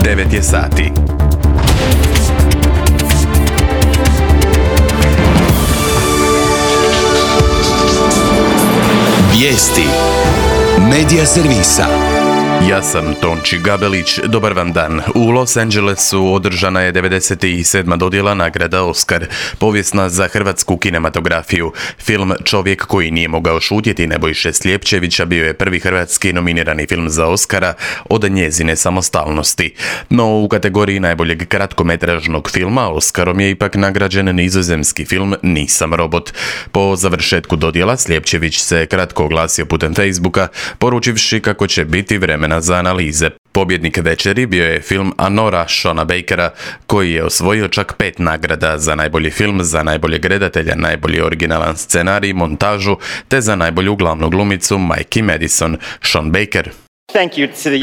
9 je sati. Vijesti Medija servisa. Ja sam Tonči Gabelić, dobar vam dan. U Los Angelesu održana je 97. dodjela nagrada Oscar, povijesna za hrvatsku kinematografiju. Film Čovjek koji nije mogao šutjeti Nebojše Slijepčevića bio je prvi hrvatski nominirani film za Oscara od njezine samostalnosti. No u kategoriji najboljeg kratkometražnog filma Oscarom je ipak nagrađen nizozemski film Nisam robot. Po završetku dodjela Slijepčević se kratko oglasio putem Facebooka, poručivši kako će biti vremena za analize. Pobjednik večeri bio je film Anora Seana Bakera, koji je osvojio čak 5 nagrada za najbolji film, za najboljeg redatelja, najbolji originalan scenarij, montažu, te za najbolju glavnu glumicu Mikey Madison. Sean Baker: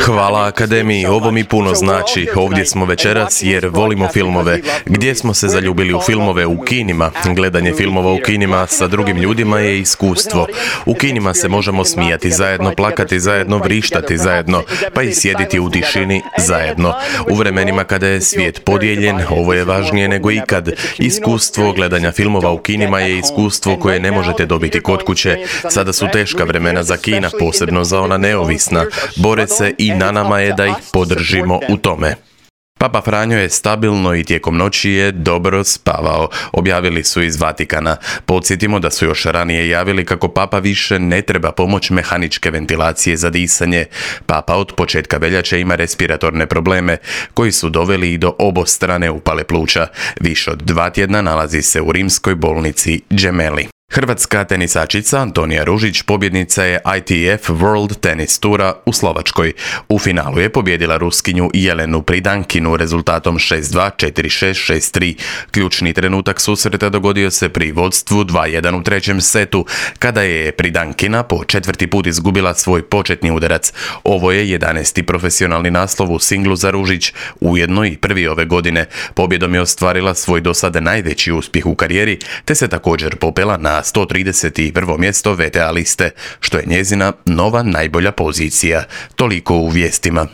Hvala Akademiji, ovo mi puno znači. Ovdje smo večeras jer volimo filmove. Gdje smo se zaljubili u filmove? U kinima. Gledanje filmova u kinima sa drugim ljudima je iskustvo. U kinima se možemo smijati zajedno, plakati zajedno, vrištati zajedno, pa i sjediti u tišini zajedno. U vremenima kada je svijet podijeljen, ovo je važnije nego ikad. Iskustvo gledanja filmova u kinima je iskustvo koje ne možete dobiti kod kuće. Sada su teška vremena za kina, posebno za ona neovisna. Bore se i na nama je da ih podržimo u tome. Papa Franjo je stabilno i tijekom noći je dobro spavao, objavili su iz Vatikana. Podsjetimo da su još ranije javili kako Papa više ne treba pomoć mehaničke ventilacije za disanje. Papa od početka veljače ima respiratorne probleme koji su doveli i do obostrane upale pluća. Više od 2 tjedna nalazi se u rimskoj bolnici Gemelli. Hrvatska tenisačica Antonija Ružić pobjednica je ITF World Tennis Tura u Slovačkoj. U finalu je pobjedila Ruskinju Jelenu Pridankinu rezultatom 6-2, 4-6, 6-3. Ključni trenutak susreta dogodio se pri vodstvu 2-1 u trećem setu, kada je Pridankina po 4. put izgubila svoj početni udarac. Ovo je 11. profesionalni naslov u singlu za Ružić, ujedno i prvi ove godine. Pobjedom je ostvarila svoj do sada najveći uspjeh u karijeri, te se također popela na 131. mjesto VTA liste, što je njezina nova najbolja pozicija. Toliko u vijestima.